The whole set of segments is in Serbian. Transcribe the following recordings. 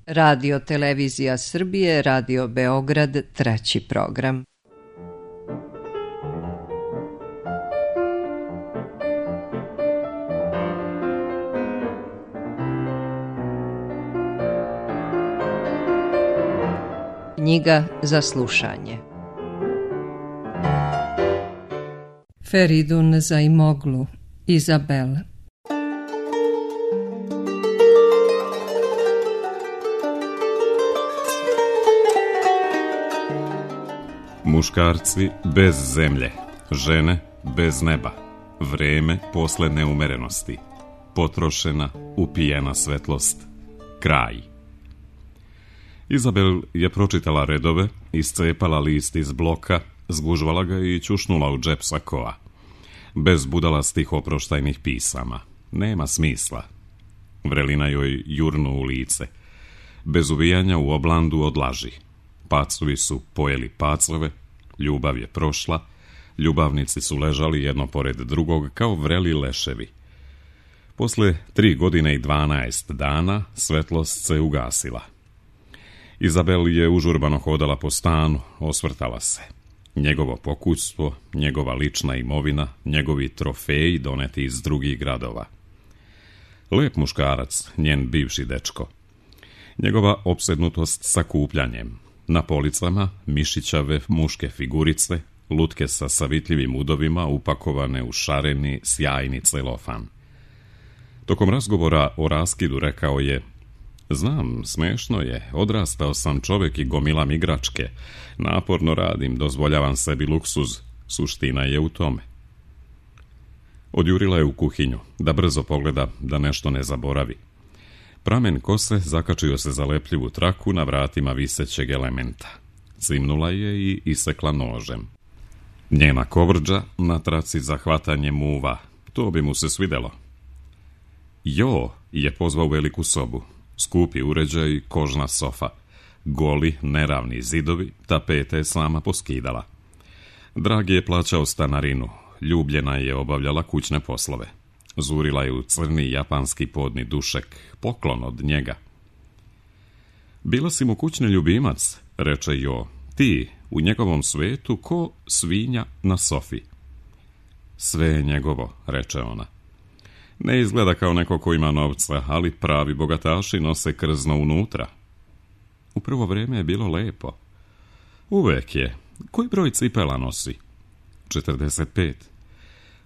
Radio Televizija Srbije, Radio Beograd, 3. program. Knjiga za slušanje. Feridun Zaimoglu, Izabel. Muškarci bez zemlje, žene bez neba, vreme posle neumerenosti, potrošena, upijena svetlost, kraj. Izabel je pročitala redove, iscepala list iz bloka, zgužvala ga i ćušnula u džep sakoa. Bez budalastih oproštajnih pisama. Nema smisla. Vrelina joj jurnu u lice. Bez uvijanja u oblandu odlaži. Pacovi su pojeli pacove, ljubav je prošla, ljubavnici su ležali jedno pored drugog kao vreli leševi. Posle 3 godine i 12 dana svetlost se ugasila. Izabel je užurbano hodala po stanu, osvrtala se. Njegovo pokućstvo, njegova lična imovina, njegovi trofeji doneti iz drugih gradova. Lep muškarac, njen bivši dečko. Njegova opsednutost sakupljanjem. Na policama mišićave muške figurice, lutke sa savitljivim udovima upakovane u šareni, sjajni celofan. Tokom razgovora o raskidu rekao je: "Znam, smešno je, odrastao sam čovjek i gomilam igračke. Naporno radim, dozvoljavam sebi luksuz. Suština je u tome." Odjurila je u kuhinju, da brzo pogleda, da nešto ne zaboravi. Pramen kose zakačio se za lepljivu traku na vratima visećeg elementa. Cimnula je i isekla nožem. Njena kovrđa na traci za hvatanje muva. To bi mu se svidelo. Jo je pozvao u veliku sobu. Skupi uređaj, kožna sofa. Goli, neravni zidovi, tapete je sama poskidala. Dragi je plaćao stanarinu. Ljubljena je obavljala kućne poslove. Zurila je u crni japanski podni dušek, poklon od njega. "Bila si mu kućni ljubimac," reče Jo. "Ti, u njegovom svetu, ko svinja na sofi." "Sve je njegovo," reče ona. "Ne izgleda kao neko ko ima novca, ali pravi bogataši nose krzno unutra." "U prvo vrijeme je bilo lepo." "Uvek je. Koji broj cipela nosi?" 45.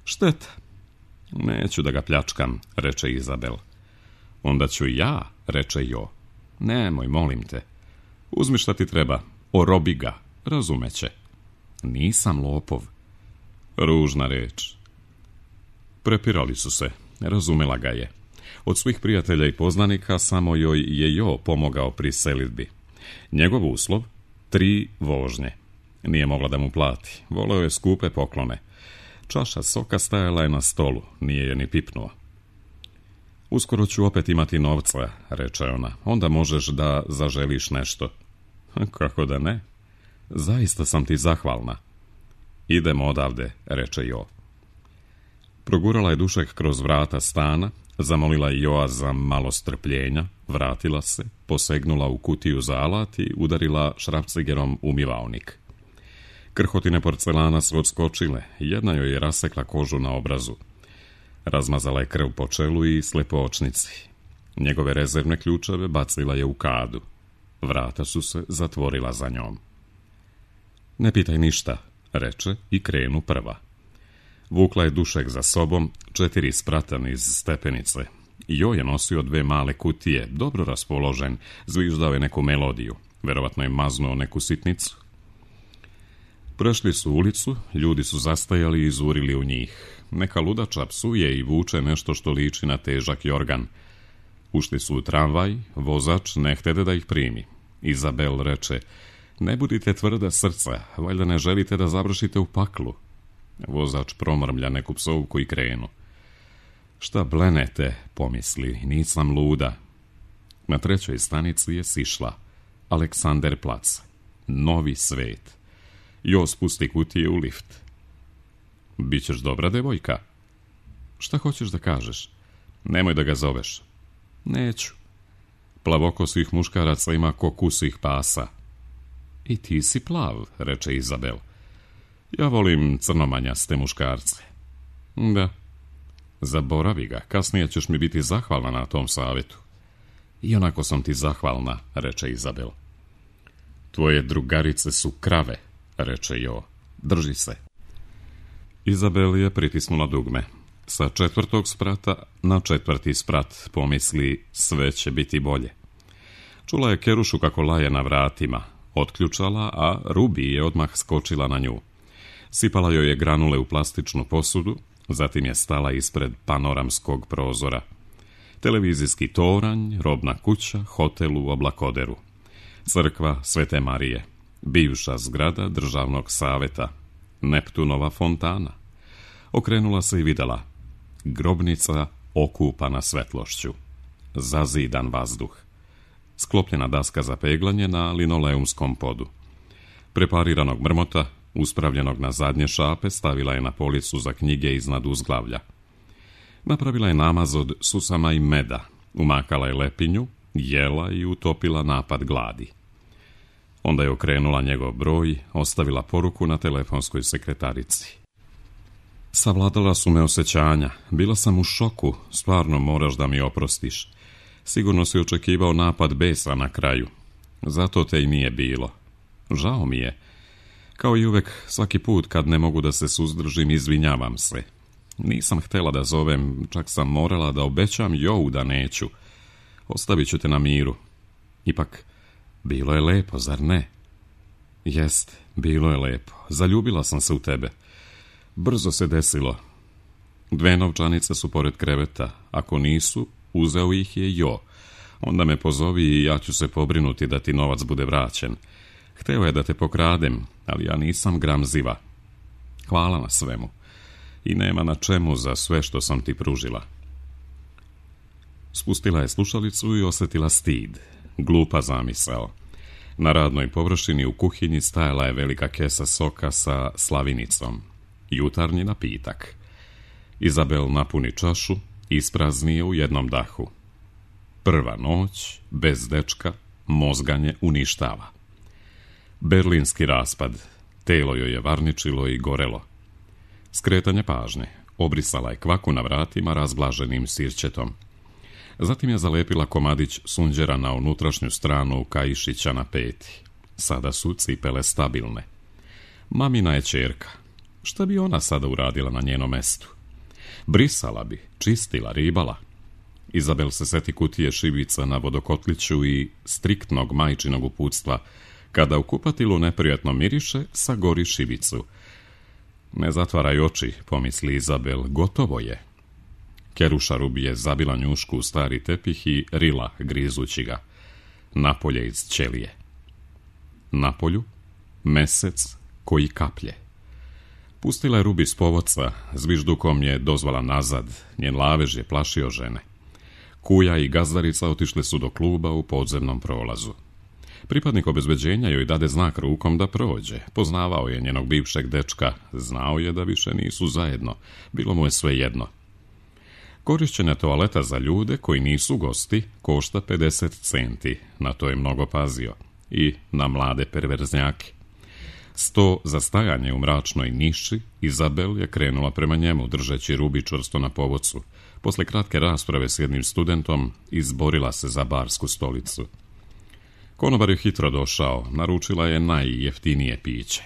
"Šteta." "Neću da ga pljačkam," reče Izabel. "Onda ću ja," reče Jo. "Nemoj, molim te. Uzmi šta ti treba, orobi ga, razumeće." "Nisam lopov." Ružna reč. Prepirali su se, razumela ga je. Od svih prijatelja i poznanika samo joj je Jo pomogao pri selidbi. Njegov uslov, 3 vožnje. Nije mogla da mu plati, voleo je skupe poklone. Čaša soka stajala je na stolu, nije je ni pipnuo. "Uskoro ću opet imati novca," reče ona, "onda možeš da zaželiš nešto." "Kako da ne? Zaista sam ti zahvalna." "Idemo odavde," reče Jo. Progurala je dušek kroz vrata stana, zamolila je Joa za malo strpljenja, vratila se, posegnula u kutiju za alat i udarila šrafcigerom umivaonik. Krhotine porcelana su odskočile, jedna joj je rasekla kožu na obrazu. Razmazala je krv po čelu i slepoočnici. Njegove rezervne ključeve bacila je u kadu. Vrata su se zatvorila za njom. "Ne pitaj ništa," reče i krenu prva. Vukla je dušek za sobom, 4 spratan iz stepenice. Jo je nosio 2 male kutije, dobro raspoložen, zviždao je neku melodiju. Verovatno je maznuo neku sitnicu. Prešli su ulicu, ljudi su zastajali i izurili u njih. Neka ludača psuje i vuče nešto što liči na težak jorgan. Ušli su u tramvaj, vozač ne htede da ih primi. Izabel reče: "Ne budite tvrda srca, valjda ne želite da završite u paklu." Vozač promrmlja neku psovku i krenu. "Šta blenete," pomisli, "nisam luda." Na 3. stanici je sišla. Aleksander plac. Novi svet. Jo spusti kutije u lift. "Bićeš dobra devojka." "Šta hoćeš da kažeš?" "Nemoj da ga zoveš." "Neću." Plavokosih muškaraca ima ko kusih pasa. I ti si plav, reče Izabel. Ja volim crnomanjaste muškarce. Da. Zaboravi ga, kasnije ćeš mi biti zahvalna na tom savjetu. I onako sam ti zahvalna, reče Izabel. Tvoje drugarice su krave, reče Jo. Drži se. Izabel je pritisnula dugme. Sa 4. sprata na 4. sprat pomisli sve će biti bolje. Čula je Kerušu kako laje na vratima, otključala, a Rubi je odmah skočila na nju. Sipala joj je granule u plastičnu posudu, zatim je stala ispred panoramskog prozora. Televizijski toranj, robna kuća, hotel u Oblakoderu. Crkva Svete Marije, bivša zgrada državnog saveta, Neptunova fontana. Okrenula se i videla. Grobnica okupana svetlošću. Zazidan vazduh. Sklopljena daska za peglanje na linoleumskom podu. Prepariranog mrmota, uspravljenog na zadnje šape, stavila je na policu za knjige iznad uzglavlja. Napravila je namaz od susama i meda, umakala je lepinju, jela i utopila napad gladi. Onda je okrenula njegov broj, ostavila poruku na telefonskoj sekretarici. Savladala su me osjećanja, bila sam u šoku, stvarno moraš da mi oprostiš. Sigurno si očekivao napad besa na kraju, zato te i nije bilo. Žao mi je. Kao i uvek, svaki put kad ne mogu da se suzdržim, izvinjavam se. Nisam htjela da zovem, čak sam morala da obećam Jovu da neću. Ostavit ću te na miru. Ipak, bilo je lepo, zar ne? Jest, bilo je lepo. Zaljubila sam se u tebe. Brzo se desilo. 2 novčanice su pored kreveta. Ako nisu, uzeo ih je Jo. Onda me pozovi i ja ću se pobrinuti da ti novac bude vraćen. Hteo je da te pokradem, ali ja nisam gramziva. Hvala na svemu. I nema na čemu za sve što sam ti pružila. Spustila je slušalicu i osjetila stid. Glupa zamisao. Na radnoj površini u kuhinji stajala je velika kesa soka sa slavinicom. Jutarnji napitak. Izabel napuni čašu, isprazni je u jednom dahu. Prva noć, bez dečka, mozganje uništava. Berlinski raspad. Telo joj je varničilo i gorelo. Skretanje pažnje. Obrisala je kvaku na vratima razblaženim sirćetom. Zatim je zalepila komadić sunđera na unutrašnju stranu kaišića na peti. Sada su cipele stabilne. Mamina je ćerka. Šta bi ona sada uradila na njenom mestu? Brisala bi, čistila, ribala. Izabel se seti kutije šibica na vodokotliću i striktnog majčinog uputstva. Kada u kupatilu neprijatno miriše, sagori šibicu. Ne zatvaraj oči, pomisli Izabel, gotovo je. Keruša Rubi je zabila njušku u stari tepih i rila, grizući ga. Napolje iz ćelije. Napolju, mesec koji kaplje. Pustila je Rubi s povodca, zviždukom je dozvala nazad, njen lavež je plašio žene. Kuja i gazdarica otišli su do kluba u podzemnom prolazu. Pripadnik obezbeđenja joj dade znak rukom da prođe. Poznavao je njenog bivšeg dečka, znao je da više nisu zajedno, bilo mu je sve jedno. Korišćenje toaleta za ljude koji nisu gosti košta 50 centi, na to je mnogo pazio, i na mlade perverznjake. 100 za stajanje u mračnoj niši, Izabel je krenula prema njemu, držeći Rubi čvrsto na povodcu. Posle kratke rasprave s jednim studentom, izborila se za barsku stolicu. Konobar je hitro došao, naručila je najjeftinije piće.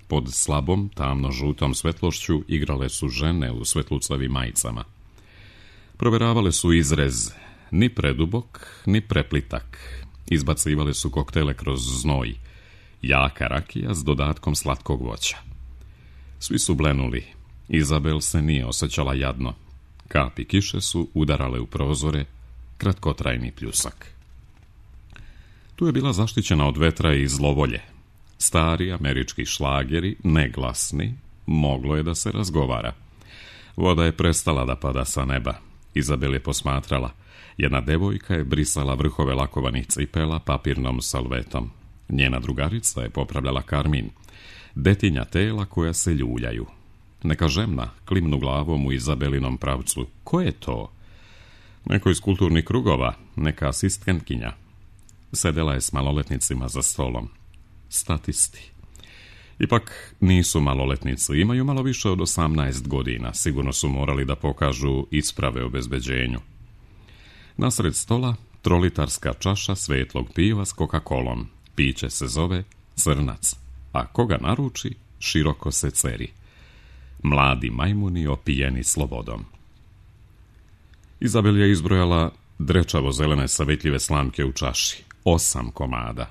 Pod slabom, tamno-žutom svetlošću igrale su žene u svetlucavim majicama. Proveravale su izrez, ni predubok, ni preplitak. Izbacivale su koktele kroz znoj. Jaka rakija s dodatkom slatkog voća. Svi su blenuli. Izabel se nije osjećala jadno. Kapi kiše su udarale u prozore, kratkotrajni pljusak. Tu je bila zaštićena od vetra i zlovolje. Stari američki šlageri, neglasni, moglo je da se razgovara. Voda je prestala da pada sa neba. Izabel je posmatrala. Jedna devojka je brisala vrhove lakovanih cipela papirnom salvetom. Njena drugarica je popravljala karmin. Detinja tela koja se ljuljaju. Neka žemna klimnu glavom u Izabelinom pravcu. Ko je to? Neko iz kulturnih krugova, neka asistentkinja. Sedela je s maloletnicima za stolom. Statisti. Ipak nisu maloletnici, imaju malo više od 18 godina, sigurno su morali da pokažu isprave o obezbeđenju. Nasred stola trolitarska čaša svetlog piva s Coca-Colom. Piće se zove Crnac, a koga naruči, široko se ceri. Mladi majmuni opijeni slobodom. Izabel je izbrojala drečavo zelene savetljive slamke u čaši. 8 komada.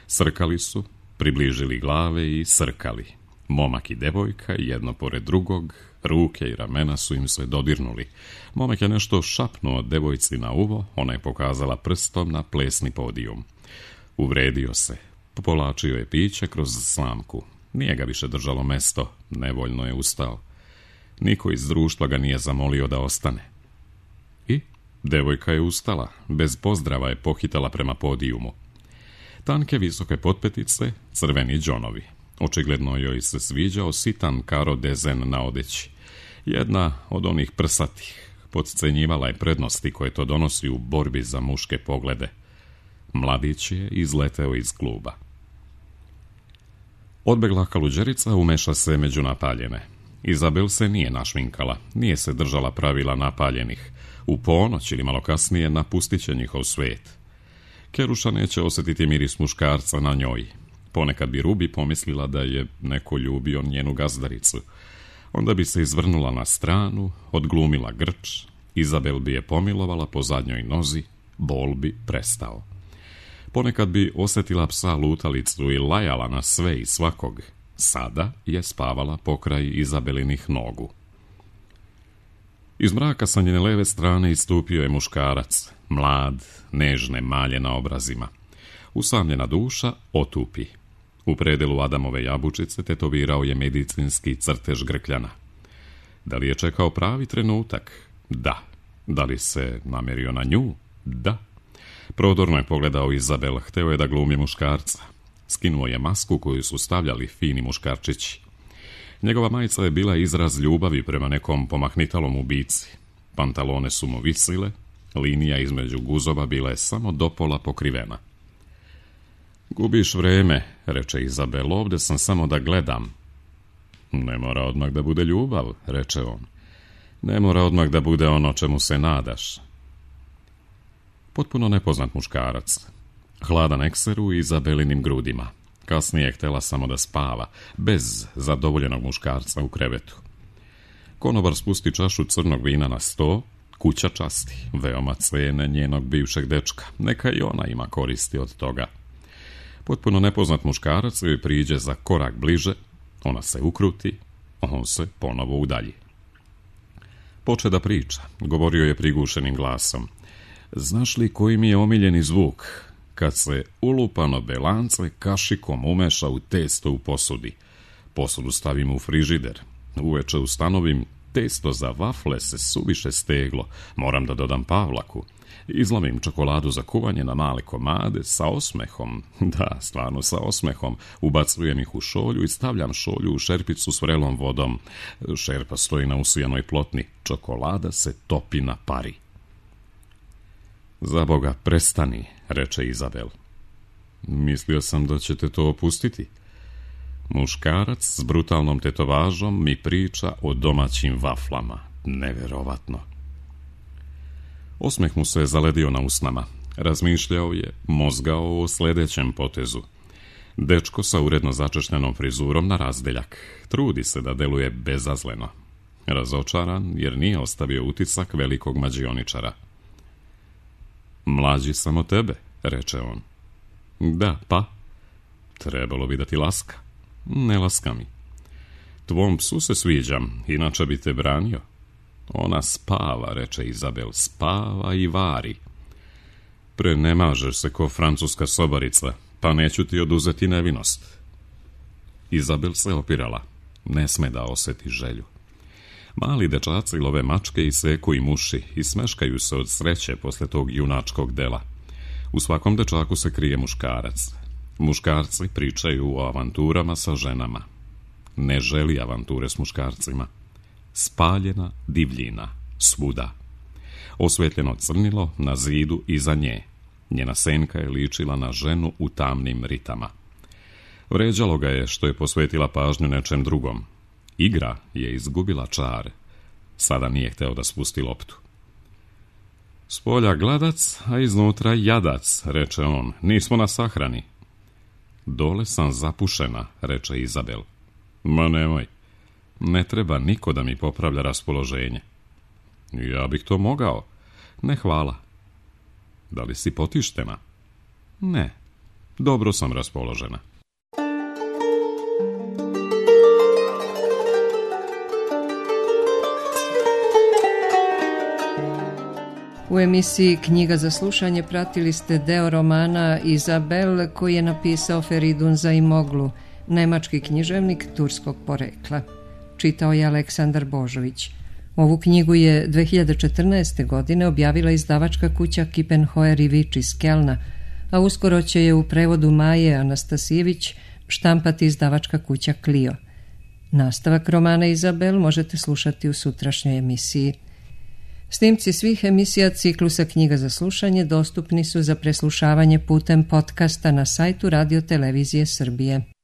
Srkali su, približili glave i srkali. Momak i devojka, jedno pored drugog, ruke i ramena su im se dodirnuli. Momak je nešto šapnuo devojci na uvo, ona je pokazala prstom na plesni podijum. Uvredio se, povlačio je piće kroz slamku. Nije ga više držalo mesto, nevoljno je ustao. Niko iz društva ga nije zamolio da ostane. I devojka je ustala, bez pozdrava je pohitala prema podijumu. Tanke visoke potpetice, crveni džonovi. Očigledno joj se sviđao sitan karo dezen na odeći. Jedna od onih prsatih podcenjivala je prednosti koje to donosi u borbi za muške poglede. Mladić je izleteo iz kluba. Odbegla kaluđerica umeša se među napaljene. Izabel se nije našminkala, nije se držala pravila napaljenih. U ponoć ili malo kasnije napustit će njihov svet. Keruša neće osjetiti miris muškarca na njoj. Ponekad bi Rubi pomislila da je neko ljubio njenu gazdaricu. Onda bi se izvrnula na stranu, odglumila grč, Izabel bi je pomilovala po zadnjoj nozi, bol bi prestao. Ponekad bi osjetila psa lutalicu i lajala na sve i svakog. Sada je spavala pokraj Izabelinih nogu. Iz mraka sa njene leve strane istupio je muškarac, mlad, nežne malje na obrazima. Usamljena duša otupi. U predelu Adamove jabučice tetovirao je medicinski crtež grkljana. Da li je čekao pravi trenutak? Da. Da li se namerio na nju? Da. Prodorno je pogledao Izabel, hteo je da glumi muškarca. Skinuo je masku koju su stavljali fini muškarčići. Njegova majica je bila izraz ljubavi prema nekom pomahnitalom ubici. Pantalone su mu visile, linija između guzova bila je samo dopola pokrivena. Gubiš vreme, reče Izabel, ovde sam samo da gledam. Ne mora odmah da bude ljubav, reče on. Ne mora odmah da bude ono čemu se nadaš. Potpuno nepoznat muškarac. Hladan ekser u Izabelinim grudima. Kasnije je htela samo da spava, bez zadovoljenog muškarca u krevetu. Konobar spusti čašu crnog vina na sto, kuća časti, veoma cene njenog bivšeg dečka. Neka i ona ima koristi od toga. Potpuno nepoznat muškarac joj priđe za korak bliže, ona se ukruti, on se ponovo udalji. Poče da priča, govorio je prigušenim glasom. Znaš li koji mi je omiljeni zvuk? Kad se ulupano belance kašikom umeša u testo u posudi. Posudu stavim u frižider. Uveče ustanovim, testo za vafle se suviše steglo. Moram da dodam pavlaku. Izlomim čokoladu za kuvanje na male komade sa osmehom. Da, stvarno sa osmehom. Ubacujem ih u šolju i stavljam šolju u šerpicu s vrelom vodom. Šerpa stoji na usijanoj plotni. Čokolada se topi na pari. Za Boga, prestani, reče Izabel. Mislio sam da ćete to opustiti. Muškarac s brutalnom tetovažom mi priča o domaćim vaflama. Neverovatno. Osmeh mu se zaledio na usnama. Razmišljao je, mozgao o sljedećem potezu. Dečko sa uredno začešljenom frizurom na razdeljak. Trudi se da deluje bezazleno. Razočaran jer nije ostavio utisak velikog mađioničara. Mlađi sam od tebe, reče on. Da, pa? Trebalo bi da ti laska. Ne laska mi. Tvom psu se sviđam, inače bi te branio. Ona spava, reče Izabel, spava i vari. Prenemažeš se ko francuska sobarica, pa neću ti oduzeti nevinost. Izabel se opirala, ne sme da oseti želju. Mali dečaci love mačke i seku im uši i smeškaju se od sreće posle tog junačkog dela. U svakom dečaku se krije muškarac. Muškarci pričaju o avanturama sa ženama. Ne želi avanture s muškarcima. Spaljena divljina, svuda. Osvetljeno crnilo na zidu iza nje. Njena senka je ličila na ženu u tamnim ritama. Vređalo ga je što je posvetila pažnju nečem drugom. Igra je izgubila čar. Sada nije hteo da spusti loptu. Spolja gladac, a iznutra jadac, reče on, nismo na sahrani. Dole sam zapušena, reče Izabel. Ma nemoj, ne treba niko da mi popravlja raspoloženje. Ja bih to mogao. Ne, hvala. Da li si potištena? Ne, dobro sam raspoložena. U emisiji Knjiga za slušanje pratili ste deo romana Izabel koji je napisao Feridun Zaimoglu, nemački književnik turskog porekla. Čitao je Aleksandar Božović. Ovu knjigu je 2014. godine objavila izdavačka kuća Kippenhoer i Vič iz Kelna, a uskoro će je u prevodu Maje Anastasijević štampati izdavačka kuća Clio. Nastavak romana Izabel možete slušati u sutrašnjoj emisiji. Snimci svih emisija ciklusa Knjiga za slušanje dostupni su za preslušavanje putem podcasta na sajtu Radio Televizije Srbije.